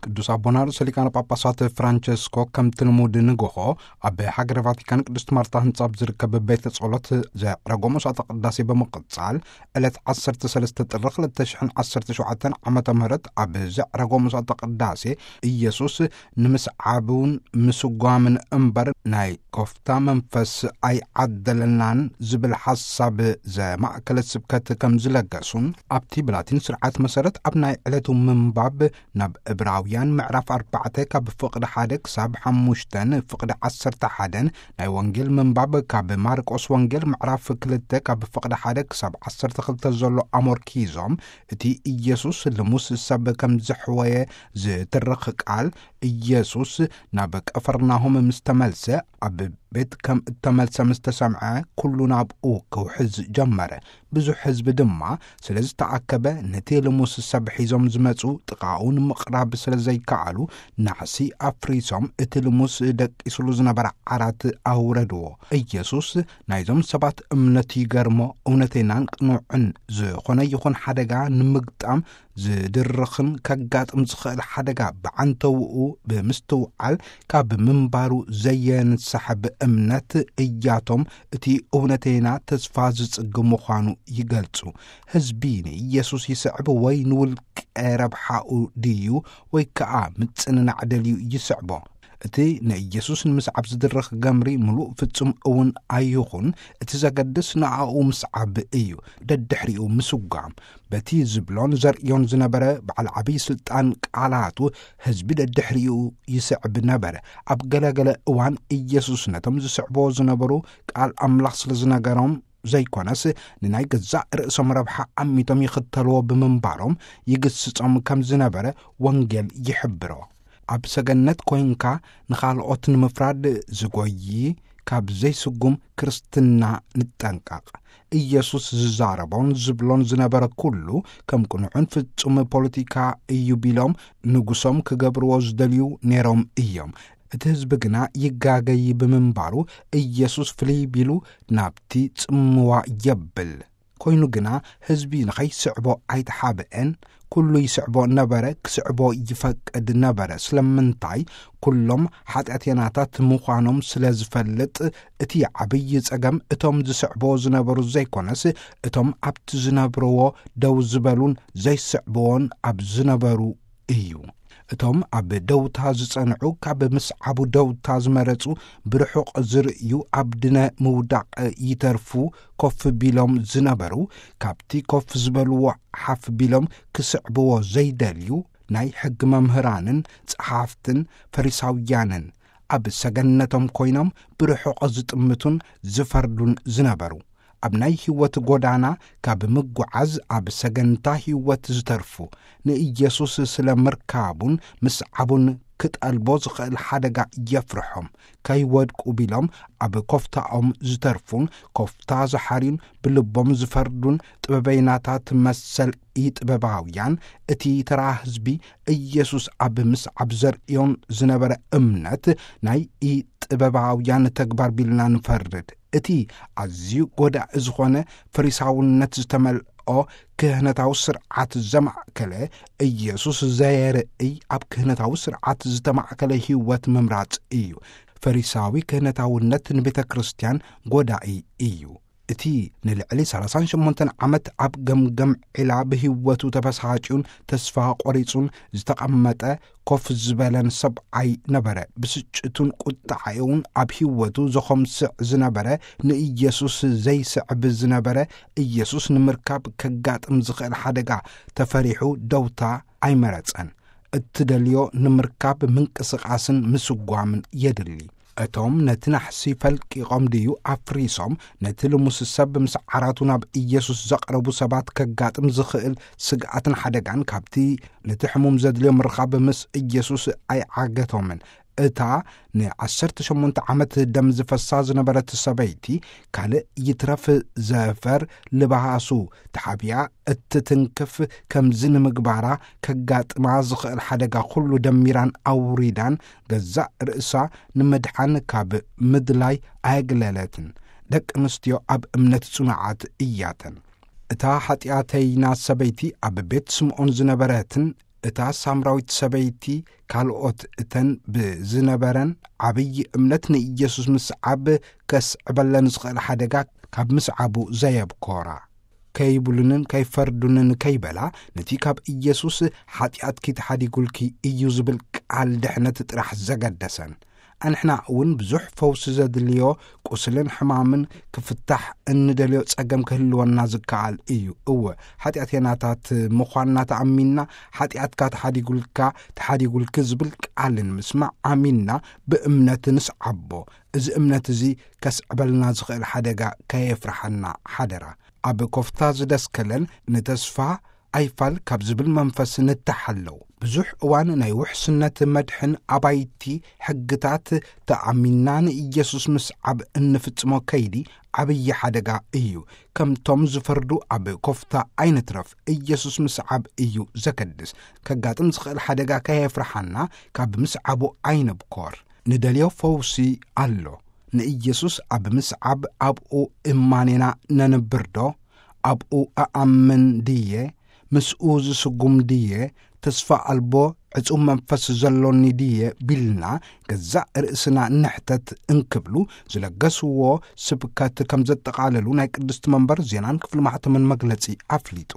ቅዱስ ኣቦና ርእሰ ሊቃነ ጳጳሳት ፍራንቸስኮ ከምቲ ልሙድ ንግሆ ኣብ ሃገረ ቫቲካን ቅድስት ማርታ ህንጻ ኣብ ዝርከብ ቤተ ጸሎት ዘዕረጎ መስዋዕተ ቅዳሴ ብምቕጻል፣ ዕለት ዓሰርተ ሰለስተ ጥሪ ክልተ ሽሕን ዓሰርተ ሸውዓተን ዓመተ ምህረት ኣብ ዘዕረጎ መስዋዕተ ቅዳሴ፣ ኢየሱስ ንምስዓቡን ምስጓምን እምበር ናይ ኮፍታ መንፈስ ኣይዓደለናን ዝብል ሓሳብ ዘማእከለ ስብከት ከም ዝለገሱን፣ ኣብቲ ብላቲን ስርዓት መሰረት ኣብ ናይ ዕለቱ ምንባብ ናብ ዕብራውያን ምዕራፍ ኣርባዕተ ካብ ፍቕዲ ሓደ ክሳብ ሓሙሽተን ፍቕዲ ዓሰርተ ሓደን፣ ናይ ወንጌል ምንባብ ካብ ማርቆስ ወንጌል ምዕራፍ ክልተ ካብ ፍቕዲ ሓደ ክሳብ ዓሰርተ ክልተ ዘሎ ኣሞርኪዞም፣ እቲ ኢየሱስ ልሙስ ሰብ ከም ዘሕወየ ዝትርኽ ቃል፣ ኢየሱስ ናብ ቀፈርናሆም ምስ ተመልሰ፣ ኣብ ቤት ከም እተመልሰ ምስ ተሰምዐ፣ ኩሉ ናብኡ ክውሕዝ ጀመረ። ብዙሕ ህዝቢ ድማ ስለ ዝተኣከበ፣ ነቲ ልሙስ ሰብ ሒዞም ዝመጹ ጥቓኡ ንምቕራብ ስለ ዘይከኣሉ፣ ናዕሲ ኣፍሪሶም እቲ ልሙስ ደቂሱሉ ዝነበረ ዓራት ኣውረድዎ። ኢየሱስ ናይዞም ሰባት እምነት ይገርሞ፣ እውነተይናን ቅኑዕን ዝኾነ ይኹን ሓደጋ ንምግጣም ዝድርኽን ከጋጥም ዝኽእል ሓደጋ ብዓንተውኡ ብምስትውዓል፣ ካብ ምንባሩ ዘየንሳሕብ እምነት እያቶም እቲ እውነተይና ተስፋ ዝጽግ ምዃኑ ይገልጹ። ህዝቢ ንኢየሱስ ይስዕብ ወይ ንውልቀ ረብሓኡ ድዩ ወይ ከኣ ምጽንናዕ ደልዩ ይስዕቦ? እቲ ንኢየሱስ ንምስዓብ ዝድረኽ ገምሪ ምሉእ ፍጹም እውን ኣይኹን፣ እቲ ዘገድስ ንኣኡ ምስዓብ እዩ፣ ደድሕሪኡ ምስጓም። በቲ ዝብሎን ዘርእዮን ዝነበረ በዓል ዓብዪ ስልጣን ቃላቱ፣ ህዝቢ ደድሕሪኡ ይስዕብ ነበረ። ኣብ ገለገለ እዋን ኢየሱስ ነቶም ዝስዕብዎ ዝነበሩ ቃል ኣምላኽ ስለ ዝነገሮም ዘይኮነስ፣ ንናይ ገዛእ ርእሶም ረብሓ ኣሚቶም ይኽተልዎ ብምንባሮም ይግስጾም ከም ዝነበረ ወንጌል ይሕብሮ። ኣብ ሰገነት ኮይንካ ንኻልኦት ንምፍራድ ዝጎዪ፣ ካብ ዘይስጉም ክርስትና ንጠንቀቕ። ኢየሱስ ዝዛረቦን ዝብሎን ዝነበረ ኩሉ ከም ቅኑዕን ፍጹም ፖለቲካ እዩ ቢሎም ንጉሶም ክገብርዎ ዝደልዩ ነይሮም እዮም። እቲ ህዝቢ ግና ይጋገይ ብምንባሩ፣ ኢየሱስ ፍልይ ቢሉ ናብቲ ጽምዋ የብል። ኮይኑ ግና፣ ህዝቢ ንኸይስዕቦ ኣይተሓብአን። ኩሉ ይስዕቦ ነበረ፣ ክስዕቦ ይፈቅድ ነበረ። ስለምንታይ? ኩሎም ሓጢኣተኛታት ምዃኖም ስለ ዝፈልጥ። እቲ ዓብዪ ጸገም፣ እቶም ዝስዕቦ ዝነበሩ ዘይኮነስ፣ እቶም ኣብቲ ዝነብርዎ ደው ዝበሉን ዘይስዕብዎን ኣብ ዝነበሩ እዩ። እቶም ኣብ ደውታ ዝጸንዑ፣ ካብ ምስዓቡ ደውታ ዝመረጹ፣ ብርሑቕ ዝርእዩ፣ ኣብ ድነ ምውዳቕ ይተርፉ። ኮፍ ቢሎም ዝነበሩ፣ ካብቲ ኮፍ ዝበልዎ ሓፍ ቢሎም ክስዕብዎ ዘይደልዩ፣ ናይ ሕጊ መምህራንን ጸሓፍትን ፈሪሳውያንን፣ ኣብ ሰገነቶም ኮይኖም ብርሑቕ ዝጥምቱን ዝፈርዱን ዝነበሩ። ኣብ ናይ ህይወት ጎዳና ካብ ምጉዓዝ፣ ኣብ ሰገንታ ህይወት ዝተርፉ፣ ንኢየሱስ ስለ ምርካቡን ምስዓቡን ክጠልቦ ዝኽእል ሓደጋ የፍርሖም። ከይወድቁ ቢሎም ኣብ ኮፍታኦም ዝተርፉን፣ ኮፍታ ዝሓርዩን፣ ብልቦም ዝፈርዱን ጥበበይናታት መሰል ኢጥበባውያን፣ እቲ ተራ ህዝቢ ኢየሱስ ኣብ ምስዓብ ዘርእዮም ዝነበረ እምነት ናይ ኢጥበባውያን ተግባር ቢልና ንፈርድ። እቲ ኣዝዩ ጎዳኢ ዝኾነ ፈሪሳውነት ዝተመልኦ ክህነታዊ ስርዓት ዘማእከለ፣ ኢየሱስ ዘየርእይ ኣብ ክህነታዊ ስርዓት ዝተማእከለ ህይወት ምምራጽ እዩ። ፈሪሳዊ ክህነታውነት ንቤተ ክርስቲያን ጎዳኢ እዩ። እቲ ንልዕሊ ሰላሳን ሸሞንተን ዓመት ኣብ ገምገም ዒላ ብህይወቱ ተበሳጭዩን ተስፋ ቆሪጹን ዝተቐመጠ፣ ኮፍ ዝበለን ሰብኣይ ነበረ። ብስጭቱን ቁጥዓኡን ኣብ ህይወቱ ዘኾምስዕ ዝነበረ፣ ንኢየሱስ ዘይስዕብ ዝነበረ፣ ኢየሱስ ንምርካብ ከጋጥም ዝኽእል ሓደጋ ተፈሪሑ ደውታ ኣይመረጸን። እትደልዮ ንምርካብ ምንቅስቓስን ምስጓምን የድሊ። እቶም ነቲ ናሕሲ ፈልቂቖም ድዩ ኣፍሪሶም፣ ነቲ ልሙስ ሰብ ምስ ዓራቱ ናብ ኢየሱስ ዘቕረቡ ሰባት ከጋጥም ዝኽእል ስግኣትን ሓደጋን፣ ካብቲ ነቲ ሕሙም ዘድልዮ ምርኻብ ምስ ኢየሱስ ኣይዓገቶምን። እታ ንዓሰርተ ሸሞንተ ዓመት ደም ዝፈሳ ዝነበረት ሰበይቲ፣ ካልእ ይትረፍ ዘፈር ልባሱ ተሓቢኣ እትትንክፍ ከምዚ ንምግባራ ከጋጥማ ዝኽእል ሓደጋ ኩሉ ደሚራን ኣውሪዳን፣ ገዛእ ርእሳ ንምድሓን ካብ ምድላይ ኣየግለለትን። ደቂ ኣንስትዮ ኣብ እምነት ጽኑዓት እያተን። እታ ሓጢኣተይና ሰበይቲ ኣብ ቤት ስምዖን ዝነበረትን እታ ሳምራዊት ሰበይቲ ካልኦት እተን ብዝነበረን ዓብዪ እምነት ንኢየሱስ ምስዓብ ከስዕበለን ዝኽእል ሓደጋ ካብ ምስዓቡ ዘየብኮራ፣ ከይብሉንን ከይፈርዱንን ከይበላ፣ ነቲ ካብ ኢየሱስ "ሓጢኣትኪ ተሓዲጉልኪ እዩ" ዝብል ቃል ድሕነት ጥራሕ ዘገደሰን። ኣንሕና እውን ብዙሕ ፈውሲ ዘድልዮ ቁስልን ሕማምን ክፍታሕ እንደልዮ ጸገም ክህልወና ዝከኣል እዩ። እወ፣ ሓጢኣተኛታት ምዃንና ተኣሚንና፣ "ሓጢኣትካ ተሓዲጉልካ፣ ተሓዲጉልኪ" ዝብል ቃልን ምስማዕ ኣሚንና ብእምነት ንስዓቦ። እዚ እምነት እዚ ከስዕበልና ዝኽእል ሓደጋ ከየፍርሓና ሓደራ። ኣብ ኮፍታ ዝደስከለን ንተስፋ ኣይፋል ካብ ዝብል መንፈስ ንተሓለው። ብዙሕ እዋን ናይ ውሕስነት መድሕን ኣባይቲ ሕግታት ተኣሚንና ንኢየሱስ ምስዓብ እንፍጽሞ ከይዲ ዓብዪ ሓደጋ እዩ። ከምቶም ዝፈርዱ ኣብ ኮፍታ ኣይንትረፍ። ኢየሱስ ምስዓብ እዩ ዘገድስ። ከጋጥም ዝኽእል ሓደጋ ከየፍርሓና ካብ ምስዓቡ ኣይንብኮር። ንደልዮ ፈውሲ ኣሎ። ንኢየሱስ ኣብ ምስዓብ ኣብኡ እማኔና ነንብርዶ? "ኣብኡ እኣምን ድየ? ምስኡ ዝስጉም ድየ? ተስፋ ኣልቦ ዕጹብ መንፈስ ዘሎኒ ድየ?" ቢልና ገዛእ ርእስና ንሕተት እንክብሉ ዝለገስዎ ስብከት ከም ዘጠቓለሉ ናይ ቅድስቲ መንበር ዜናን ክፍሊ ማሕተምን መግለጺ ኣፍሊጡ።